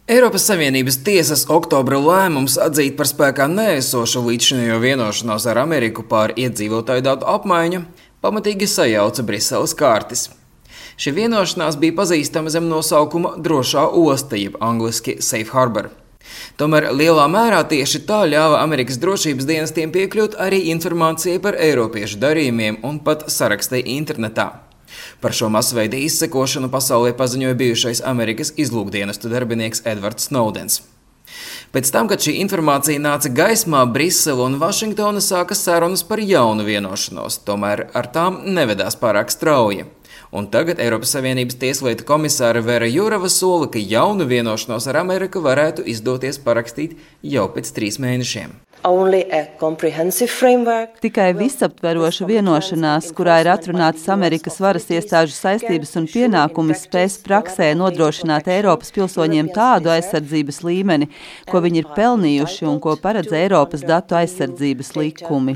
Eiropas Savienības tiesas oktobra lēmums atzīt par spēkā neesošu līdzšinējo vienošanos ar Ameriku par iedzīvotāju datu apmaiņu pamatīgi sajauca Briseles kārtis. Šī vienošanās bija pazīstama zem nosaukuma drošā osta, jeb angliski Safe Harbor. Tomēr lielā mērā tieši tā ļāva Amerikas drošības dienestiem piekļūt arī informācijai par eiropiešu darījumiem un pat sarakstai internetā. Par šo masveida izsekošanu pasaulē paziņoja bijušais Amerikas izlūkdienestu darbinieks Edvards Snowdens. Pēc tam, kad šī informācija nāca gaismā, Brisele un Vašingtona sāka sarunas par jaunu vienošanos, tomēr ar tām nevedās pārāk strauji. Un tagad Eiropas Savienības tieslietu komisāra Vera Jurova sola, ka jaunu vienošanos ar Ameriku varētu izdoties parakstīt jau pēc 3 mēnešiem. Tikai visaptveroša vienošanās, kurā ir atrunātas Amerikas varas iestāžu saistības un pienākumi, spēs praksē nodrošināt Eiropas pilsoņiem tādu aizsardzības līmeni, ko viņi ir pelnījuši un ko paredz Eiropas datu aizsardzības likumi.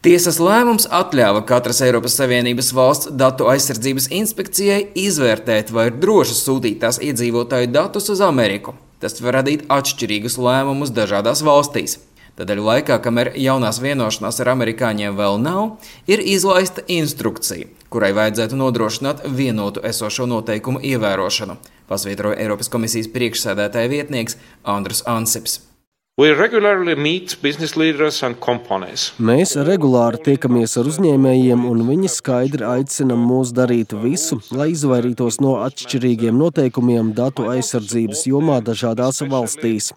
Tiesas lēmums atļāva katras Eiropas Savienības valsts datu aizsardzības inspekcijai izvērtēt, vai ir droši sūtīt tās iedzīvotāju datus uz Ameriku. Tas var radīt atšķirīgus lēmumus dažādās valstīs. Tādēļ laikā, kamēr jaunās vienošanās ar amerikāņiem vēl nav, ir izlaista instrukcija, kurai vajadzētu nodrošināt vienotu esošo noteikumu ievērošanu, pasvītroja Eiropas komisijas priekšsēdētāja vietnieks Andrus Ansips. Mēs regulāri tiekamies ar uzņēmējiem, un viņi skaidri aicina mūs darīt visu, lai izvairītos no atšķirīgiem noteikumiem datu aizsardzības jomā dažādās valstīs.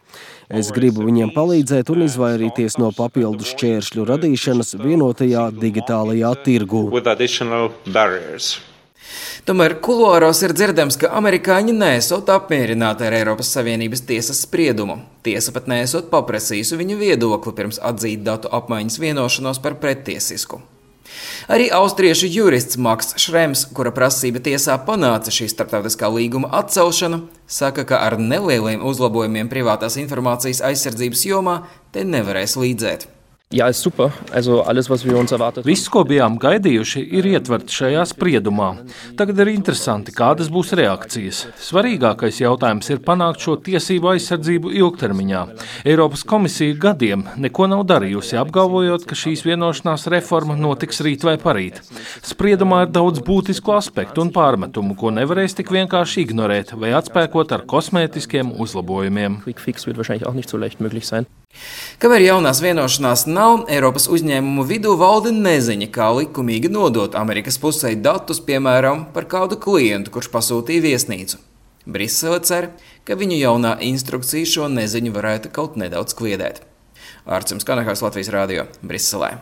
Es gribu viņiem palīdzēt un izvairīties no papildu šķēršļu radīšanas vienotajā digitālajā tirgū. Tomēr kuluāros ir dzirdams, ka amerikāņi neesot apmierināti ar Eiropas Savienības tiesas spriedumu. Tiesa pat neesot paprasījusi viņu viedokli pirms atzīt datu apmaiņas vienošanos par prettiesisku. Arī austriešu jurists Maks Šrems, kura prasība tiesā panāca šī starptautiskā līguma atcelšanu, saka, ka ar nelieliem uzlabojumiem privātās informācijas aizsardzības jomā te nevarēs līdzēt. Jā, super. Viss, ko bijām gaidījuši, ir ietverts šajā spriedumā. Tagad ir interesanti, kādas būs reakcijas. Svarīgākais jautājums ir panākt šo tiesību aizsardzību ilgtermiņā. Eiropas komisija gadiem neko nav darījusi, apgalvojot, ka šīs vienošanās reforma notiks rīt vai parīt. Spriedumā ir daudz būtisku aspektu un pārmetumu, ko nevarēs tik vienkārši ignorēt vai atspēkot ar kosmētiskiem uzlabojumiem. Kamēr jaunās vienošanās nav, Eiropas uzņēmumu vidū valda neziņa, kā likumīgi nodot Amerikas pusē datus, piemēram, par kādu klientu, kurš pasūtīja viesnīcu. Brisele cer, ka viņu jaunā instrukcija šo neziņu varētu kaut nedaudz kliedēt. Ārcis Kanahārs, Latvijas radio, Briselē.